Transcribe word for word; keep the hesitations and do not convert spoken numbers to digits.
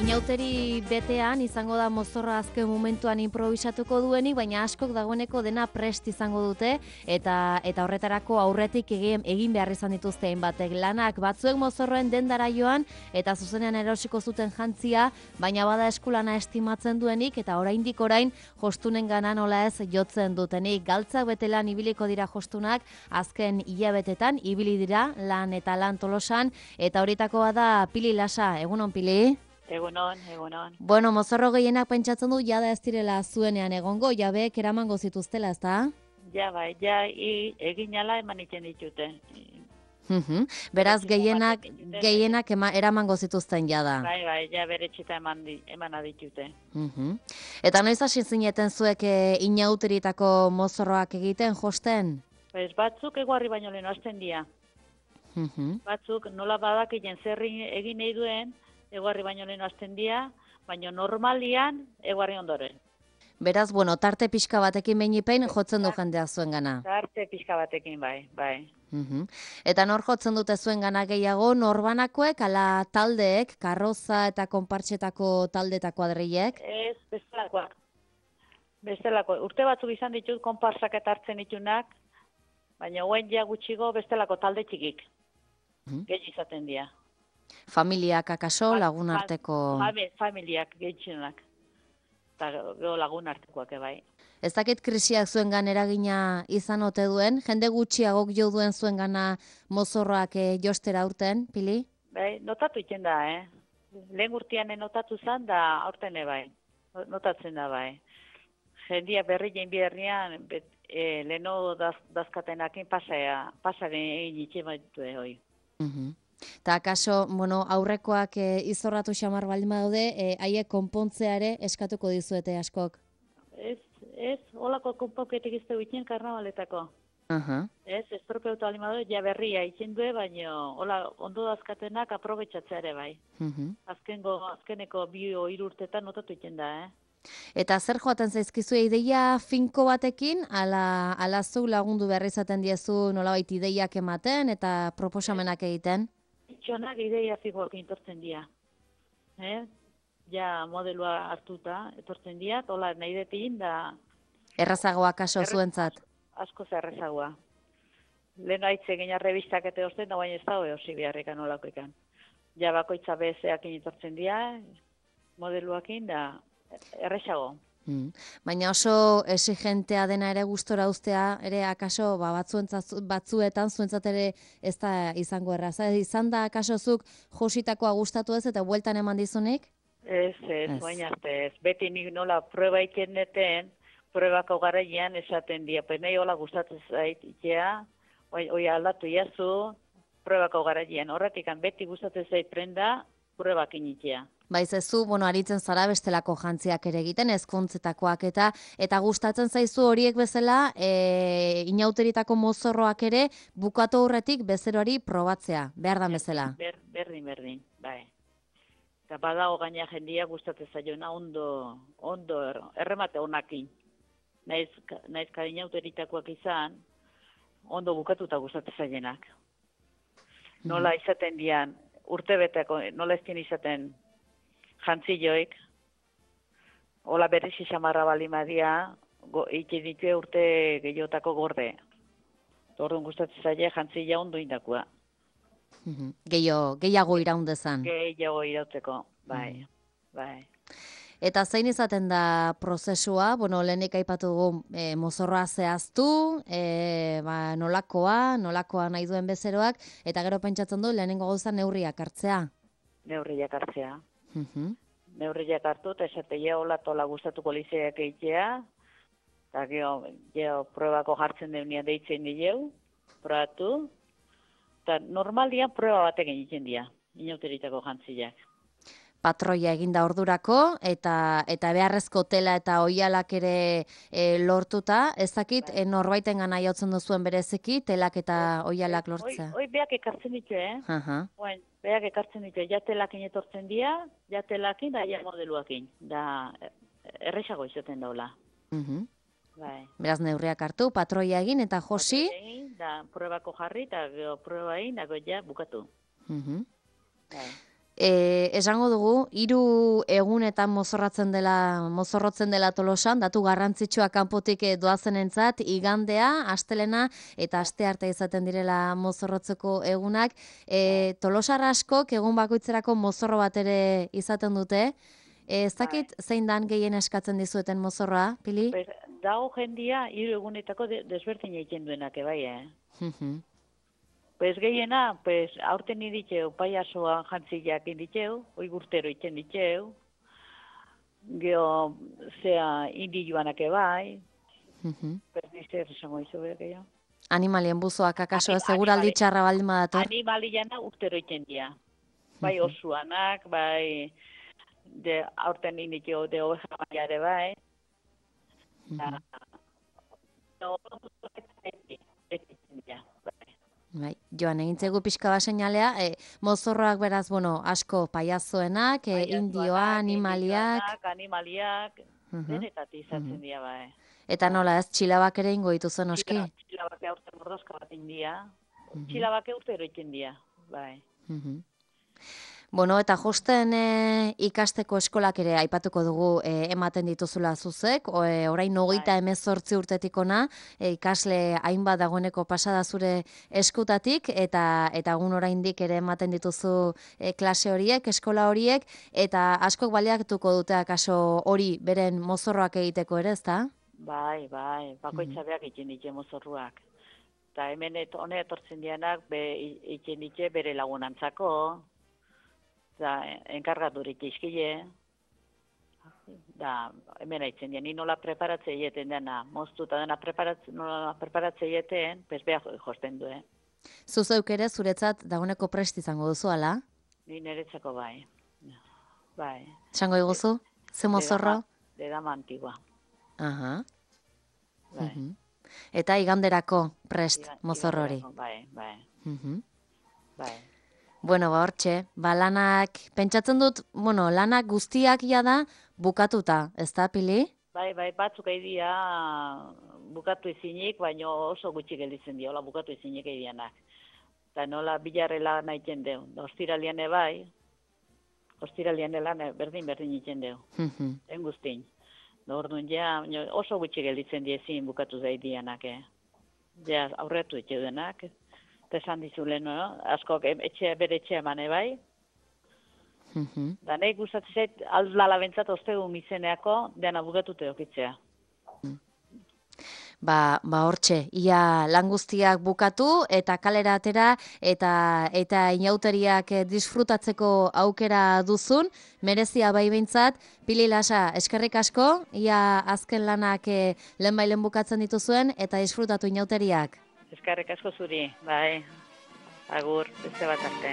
Inauteri betean izango da mozorra azken momentuan improvisatuko duenik, baina askok dagoeneko dena prest izango dute eta eta horretarako aurretik egin, egin behar izan dituzte hainbatek lanak. Batzuek mozorroen dendara joan eta zuzenean erosiko zuten jantzia, baina bada eskulana estimatzen duenik eta oraindik orain jostunen gana nola ez jotzen dutenik. Galtzak betelan ibiliko dira jostunak azken hilabetetan ibili dira lan eta lan Tolosan eta horitakoa da Pili Lasa. Egunon, Pili? Egunon, egunon. Bueno, mozorro gehienak pentsatzen du jada ez direla zuenean egongo, jabeek eramango zituztela, ezta? Ja, bai, ja, i, egin ala eman iten ditute. Mhm. Beraz, gehienak, gehienak ema, eramango zituzten jada. Bai, bai, ja bere txita eman, di, eman aditute. Mhm. Eta noiz hasi zineten zuek e, inauteritako mozorroak egiten, josten? Pues batzuk eguarri baino lehen hasten dira. Mhm. Batzuk nola badakien zerri egin nahi duen, eguarri baino lehen hasten dira, baina normalian eguarri ondoren. Beraz, bueno, tarte pixka batekin behin jotzen du jendea zuen gana. Tarte pixka batekin, bai, bai. Uhum. Eta nor jotzen dute zuen gana gehiago, norbanakoek, ala taldeek, karroza eta konpartxetako taldetako adreiek? Ez, bestelakoak. Bestelako, urte batzuk izan ditut, konparsak eta hartzen ditunak, baina guen ja gutxigo bestelako talde txikik. Uhum. Gehi izaten dira. Familiak akaso, lagun arteko... Familiak gehitzenak. Eta gero lagun artekoak bai. Ez dakit krisiak zuen gan eragina izan ote duen, jende gutxiagok jo duen zuen gana mozorroak e, jostera aurten, Pili? Bai, notatu iten da, eh? Lehen urtean notatu zen da aurten bai. Notatzen da bai. Jendia berri jein biherrian, e, leheno daz, dazkatenakin pasea, pasaren egin itxe baitu hoi. Mhm. Eta akaso, bueno, aurrekoak e, izorratu xamar baldin badaude, e, haiek konpontzeare eskatuko dizuete askok? Ez, ez, holako konponketik izte guitien karnabaletako. Uh-huh. Ez, estropeutu baldin badaude, ja berria itzen due, baina hola, ondo dazkatenak aprobetxatzeare bai. Uh-huh. Azkengo, azkeneko bio irurtetan notatu iten da, eh? Eta zer joaten zaizkizu ideia finko batekin, ala, ala zu lagundu behar izaten diezu nolabait ideiak ematen eta proposamenak egiten? Txonak ideia figuak intortzen dira. Eh? Ja modelua hartuta, etortzen dira, hola nahi detin da... Errazagoa kaso Erre... zuentzat? Asko zerrezagoa. Lehen haitze gina revistak eta osten, da baina ez dago eosi beharrekan olakoekan. Ja bakoitza bezeak intortzen dira, modeluakin da errezago. Hmm. Baina oso exigentea dena ere gustora uztea, ere akaso ba, batzuetan zuentzat ere ez da izango erraza. Izan da akasozuk jositakoa gustatu ez eta bueltan eman dizunik? Ez, ez, baina arte ez. Beti nik nola prueba ikeneten, pruebako garaian esaten dia. Penei hola gustatzen zait itea, oi aldatu jazu, pruebako garaian. Horretik, beti gustatzen zait prenda, pruebak initea. Baiz ezu, bueno, aritzen zara bestelako jantziak ere egiten, ezkontzetakoak eta eta gustatzen zaizu horiek bezala, e, inauteritako mozorroak ere bukatu aurretik bezeroari probatzea, behar da bezala. Ber, berdin, berdin, bai. Eta badago gaina jendia gustatzen zaiona ondo, ondo er, erremate honakin. Naiz, naiz ka inauteritakoak izan, ondo bukatuta gustatzen zaienak. Nola izaten dian, urtebeteko, nola eztien izaten jantzioik, hola berrizi xamarra balimadia, ikin ditu urte gehiotako gorde. Orduan gustatzen zaila jantzia ondo indakoa. Gehiago, gehiago iraundezan. Gehiago irauteko, bai, bai. Eta zein izaten da prozesua, bueno, lehenik aipatu dugu e, mozorroa zehaztu, e, ba, nolakoa, nolakoa nahi duen bezeroak, eta gero pentsatzen du lehenengo gauza neurriak hartzea. Neurriak hartzea. Uh-huh. Neurriak hartu, eta esatea hola tola gustatuko lizeak eitea, eta geho, geho probako jartzen deunia deitzen dileu, probatu, eta normalian proba batek egiten dira, inauteritako jantziak. Patroia eginda ordurako, eta eta beharrezko tela eta oialak ere e, lortuta, ez dakit e, norbaiten gana jotzen duzuen bereziki, telak eta oialak lortzea. Hoi beak ekartzen ditu, eh? Uh-huh. Oen, beak ekartzen ditu, ja telakin etortzen dira, ja telakin da ja modeluakin, da erresago izaten daula. Uh-huh. Bai. Beraz neurriak hartu, patroia egin eta josi. Patroia egin, da probako jarri, eta prueba egin, dago ja bukatu. Uh-huh. Bai. E, esango dugu, hiru egunetan mozorratzen dela, mozorrotzen dela Tolosan, datu garrantzitsua kanpotik doazenentzat, igandea, astelena eta astearte izaten direla mozorrotzeko egunak. E, Tolosar askok egun bakoitzerako mozorro bat ere izaten dute. E, ez dakit zein dan gehien eskatzen dizueten mozorroa, Pili? Pues, dago jendia hiru egunetako de, desberdin egiten duenak, bai, eh? Pues gehiena, pues aurten iditxeu, paiasoan jantziak inditxeu, oi gurtero iten ditxeu, geho, zea, indi joanak ebai, pues nizte erresango izo behar gehiago. Animalien buzoak akaso, seguraldi txarra baldin badator? Animaliana urtero iten dia. Bai osuanak, bai de aurten inditxeu de oveja baiare bai. Bai, joan egintzegu pixka bat seinalea, e, mozorroak beraz, bueno, asko paiazoenak, e, indioa, animaliak... Animaliak, denetatik izatzen dira, bai. Eta nola ez, txilabak ere ingo dituzen oski? Txilabak aurten mordazka bat india, txilabak urtero ikin dia, bai. Bueno, eta josten e, ikasteko eskolak ere aipatuko dugu e, ematen dituzula zuzek, o, e, orain hogeita hemezortzi urtetik ona, e, ikasle hainbat dagoeneko pasada zure eskutatik, eta eta egun oraindik ere ematen dituzu e, klase horiek, eskola horiek, eta askok baliatuko dute akaso hori beren mozorroak egiteko ere, ezta? Bai, bai, bakoitza beak ikin ditze mozorruak. Eta hemen hone etortzen dianak be, ikin ditze bere lagunantzako, da, enkargaturik izkile, da, hemen haitzen dien, ni nola preparatzea egiten dena, moztu eta dena preparatzea, nola preparatzea egiten, pez behar josten du, eh? Zuzeuk ere zuretzat dagoeneko prest izango duzu, ala? Ni niretzako bai, bai. Zango iguzu? Ze mozorro? De dama antigua. Aha. Bai. Eta iganderako prest mozorrori. Bai, bai. Bai. Bueno, ba, hortxe, ba, lanak, pentsatzen dut, bueno, lanak guztiak da bukatuta, ez da, Pili? Bai, bai, batzuk aidia bukatu ezinik, baina oso gutxi gelditzen dira, hola bukatu ezinik aidianak. Eta nola bilarrela nahi iten deu, da ostiralian bai, ostiralian lan berdin-berdin iten deu, en guztin. Da orduan ja, oso gutxi gelditzen dira ezin bukatu zaidianak, eh? Ja, aurretu etxe denak, esan dizule, no? Askok etxe, bere etxe emane bai. Da nahi gustatzen zait, aldala bentsat ostegun izeneako, dena bukatute okitzea. Ba, ba hortxe, ia lan guztiak bukatu eta kalera atera eta eta inauteriak disfrutatzeko aukera duzun, merezia bai behintzat. Pili Lasa, eskerrik asko, ia azken lanak lehen bailen bukatzen dituzuen eta disfrutatu inauteriak. Eskerrik asko zuri, bai, agur, beste bat arte.